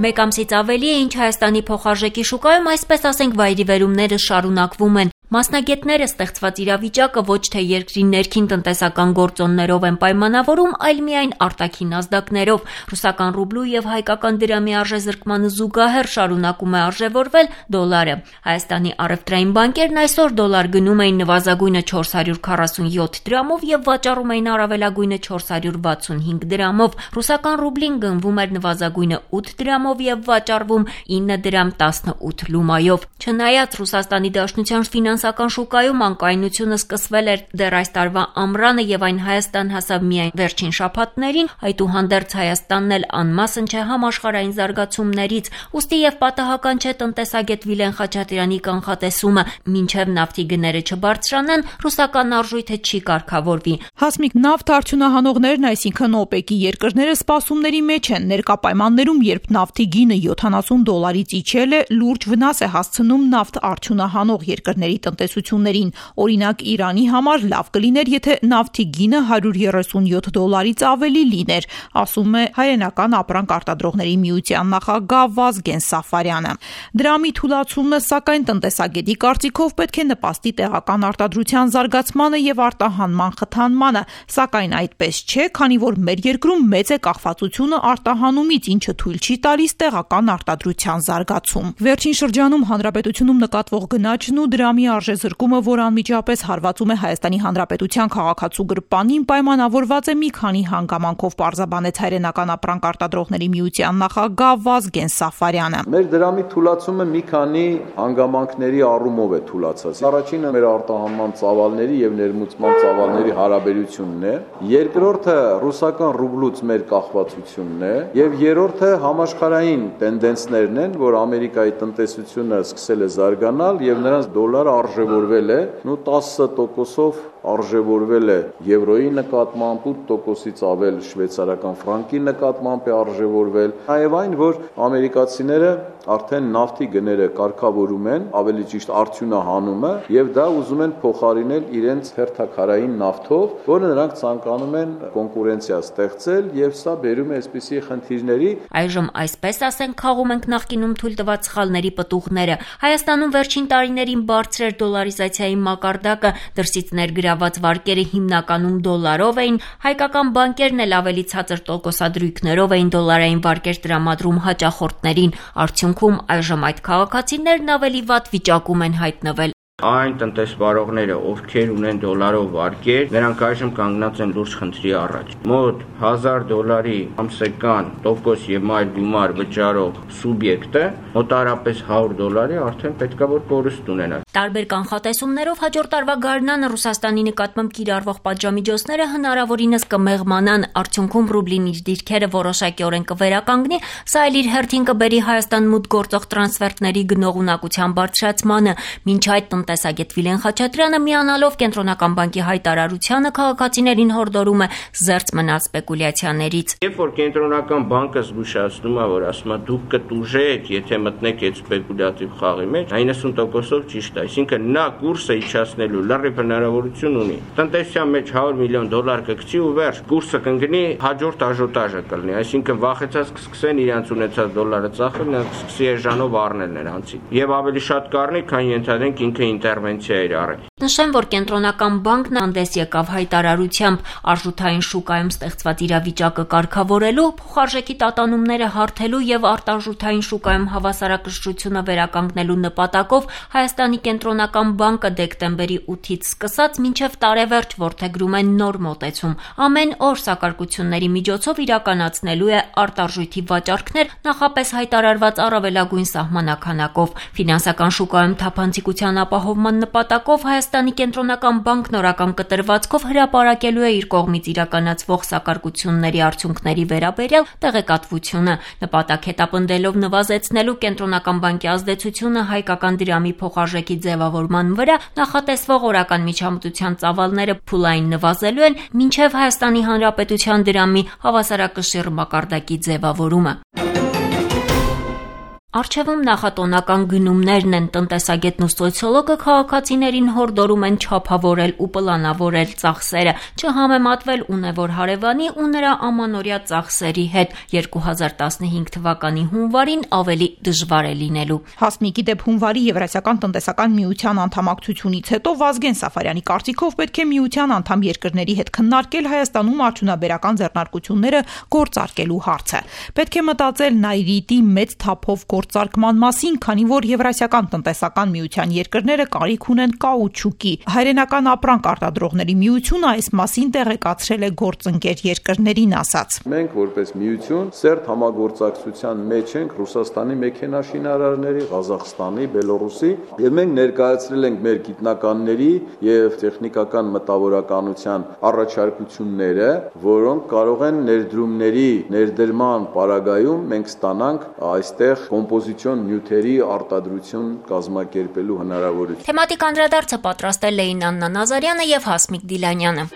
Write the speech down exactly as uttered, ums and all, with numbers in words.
Մեկ ամսից ավելի է, ինչ Հայաստանի փոխարժեքի շուկայում այսպես ասենք վայրիվերումները շարունակվում են։ Մասնագետները ստեղծված իրավիճակը ոչ թե երկրի ներքին տնտեսական գործոններով են պայմանավորում, այլ միայն արտաքին ազդակներով։ Ռուսական ռուբլու եւ հայկական դրամի արժեզրկմանը զուգահեռ շարունակում է արժևորվել դոլարը։ Հայաստանի առևտրային բանկերն այսօր դոլար գնում էին նվազագույնը չորս հարյուր քառասունյոթ դրամով եւ վաճառում էին առավելագույնը չորս հարյուր վաթսունհինգ դրամով։ Ռուսական ռուբլին գնվում էր նվազագույնը ութ դրամով եւ վաճառվում ինը դրամ տասնութ լումայով։ Չնայած Ռուսաստանի Դաշնության ֆինանսական շուկայում անկայունությունը սկսվել էր դեռ այս տարվա ամռանը եւ այն Հայաստան հասավ միայն վերջին շաբաթներին, այդուհանդերձ Հայաստանն էլ անմասն չէ համաշխարհային զարգացումներից, ուստի եւ պատահական չէ տնտեսագետ Վիլեն Խաչատրյանի կանխատեսումը, մինչեւ նավթի գները չբարձրանան, ռուսական արժույթը չի կարգավորվի։ Հասմիկ, նավթ արդյունահանողներն, այսինքն օպեկի երկրները սպասումների մեջ են։ Ներկա պայմաններում, երբ նավթի գինը յոթանասուն դոլարից իջել է, լուրջ վնաս է հասցնում նավթ արդյունահանող երկրների տնտեսություններին։ Օրինակ, Իրանի համար լավ կլիներ, եթե նավթի գինը հարյուր երեսունյոթ դոլարից ավելի լիներ, ասում է Հայրենական ապրանք արտադրողների միության նախագահ Վազգեն Սաֆարյանը։ Դրամի թուլացումը, սակայն, տնտեսագետի կարծիքով պետք է նպաստի տեղական արտադրության զարգացմանը եւ արտահանման խթանմանը, սակայն այդպես չէ, քանի որ մեր երկրում մեծ է կախվածությունը արտահանումից, ինչը թույլ չի տալիս տեղական արտադրության զարգացում։ Վերջին շրջանում հանրապետությունում նկատվող գնաճն ու դրամի արժեզրկումը, որ անմիջապես հարվածում է Հայաստանի Հանրապետության քաղաքացու գրպանին, պայմանավորված է մի քանի հանգամանքով, պարզաբանեց Հայրենական ապրանք արտադրողների միության նախագահ Վազգեն Սաֆարյանը։ Մեր դրամի թուլացումը մի քանի հանգամանքների առումով է թուլացած։ Առաջինը մեր արտահանման ծավալների եւ ներմուծման ծավալների հարաբերությունն է, երկրորդը ռուսական ռուբլուց մեր կախվածությունն է եւ երրորդը համաշխարհային տենդենսներն են, որ Ամերիկայի տնտեսությունը սկսել է զարգանալ եւ նրանց դոլարը արժևորվել է, նու տասը տոկոսով արժևորվել է եվրոյի նկատմամբ, ութ տոկոսից ավել շվեյցարական ֆրանկի նկատմամբ է արժևորվել, նաև այն, որ ամերիկացիները արդեն նավթի գները կարգավորում են, ավելի ճիշտ արդյունահանումը, եւ դա ուզում են փոխարինել իրենց հերթաքարային նավթով, որը նրանք ցանկանում են կոնկուրենցիա ստեղծել, եւ սա բերում է այսպիսի խնդիրների։ Այժմ այսպես ասենք, խաղում ենք նախկինում թույլ տված սխալների պտուղները։ Հայաստանում վերջին տարիներին բարձր էր դոլարիզացիայի մակարդակը, դրսից ներգրաված վարկերը հիմնականում դոլարով էին, հայկական բանկերն էլ ավելի ցածր տոկոսադրույքներով էին դոլարային վարկեր տրամադրում հաճախորդներին։ Արդյունքում այժմ այդ քաղաքացիներն ավելի վատ վիճակում են հայտնվել։ Այն տնտեսվարողները, ովքեր ունեն դոլարով վարկեր, նրանք այժմ կանգնած են լուրջ խնդրի առաջ։ Մոտ հազար դոլարի ամսական տոկոս եւ այլ գումար վճարող սուբյեկտը մոտարապես հարյուր դոլարի արդեն պետքա որ կորուստ ունենա։ Տարբեր կանխատեսումներով հաջորդ տարվա գարնանը Ռուսաստանի նկատմամբ կիրառվող պատժամիջոցները հնարավորինս կմեղմանան, արդյունքում ռուբլին իր դիրքերը որոշակիորեն կվերականգնի, սա էլ իր հերթին կբերի Հայաստան մուտք գործող տրանսֆերտների գնողունակության բարձրացմանը։ Մինչ այդ տնտեսագետ Վիլեն Խաչատրյանը միանալով Կենտրոնական բանկի հայտարարությանը քաղաքացիներին հորդորում է զերծ մնալ սպեկուլյացիաներից։ Երբ որ Կենտրոնական բանկը զգուշացնում է, որ ասում է դուք կտուժեք, եթե մտնեք այդ սպեկուլյատիվ խաղի մեջ, իննսուն տոկոսով ճիշտ է, այսինքն նա կուրսը իջացնելու լրիվ հնարավորություն ունի։ Տնտեսության մեջ հարյուր միլիոն դոլար կգցի ու վերջ, կուրսը կընկնի, հաջորդ աժոտաժը կլինի, այսինքն վախեցած կսկսեն իրենց ունեցած դոլարը ծախել, նրանք կսկսի էժանով առնել նրանցից։ Եվ ավելի շատ կառնի, քան ենթադրենք ինքը ինտերվենցիա էր արել։ Նշեմ, որ Կենտրոնական բանկն հանդես եկավ հայտարարությամբ արժութային շուկայում ստեղծված իրավիճակը կարգավորելու, փոխարժեքի տատանումները հարթելու եւ արտարժութային շուկայում հավասարակշռությունը վերականգնելու նպատակով Հայաստանի Կենտրոնական բանկը դեկտեմբերի ութից սկսած մինչև տարեվերջ որդեգրում է նոր մոտեցում։ Ամեն օր սակարկությունների միջոցով իրականացնելու է արտարժույթի վաճառքներ նախապես հայտարարված առավելագույն սահմանականակով։ Ֆինանսական շուկայում թափանցիկության ապահովման նպատակով Հայաստանի Կենտրոնական բանկն օրական կտրվածքով հրապարակելու է իր կողմից իրականացվող սակարկությունների արդյունքների վերաբերյալ տեղեկատվությունը, նպատակ հետապնդելով նվազեցնելու Կենտրոնական բանկի ազդեցությունը հայկական դրամի փոխարժեքի ձևավորման վրա, նախատեսվող օրական միջամտության ծավալները փուլային նվազելու են մինչև Հայաստանի Հանրապետության դրամի հավասարակշիռ մակարդակի ձևավորումը։ Առջևում նախատոնական գնումներն են, տնտեսագետն ու սոցիոլոգը քաղաքացիներին հորդորում են չափավորել ու պլանավորել ծախսերը, չհամեմատվել ունևոր հարևանի ու նրա ամանորյա ծախսերի հետ, երկու հազար տասնհինգ թվականի հունվարին ավելի դժվար է լինելու։ Հասմիկի դեպ հունվարի Եվրասիական տնտեսական միության անդամակցությունից հետո Վազգեն Սաֆարյանի կարծիքով պետք է միության անդամ երկրների հետ քննարկել Հայաստանում արդյունաբերական ձեռնարկությունները գործարկելու հարցը։ Պետք է մտածել Նայրիտի մեծ թափով գործարկման մասին, քանի որ Եվրասիական տնտեսական միության երկրները կարիք ունեն կաուչուկի։ Հայրենական ապրանք արտադրողների միությունը այս մասին տեղեկացրել է գործընկեր երկրներին, ասաց. Մենք որպես միություն սերտ համագործակցության մեջ ենք Ռուսաստանի մեքենաշինարարների, Ղազախստանի, Բելոռուսի, եւ մենք ներկայացրել ենք մեր գիտնականների եւ տեխնիկական մտավորականության առաջարկությունները, որոնք կարող են ներդրումների ներդրման պարագայում մենք ստանանք այստեղ կոմպոզիցիոն նյութերի արտադրություն կազմակերպելու հնարավորություն։ Թեմատիկ անդրադարձը պատրաստել էին Աննա Նազարյանը եւ Հասմիկ Դիլանյանը։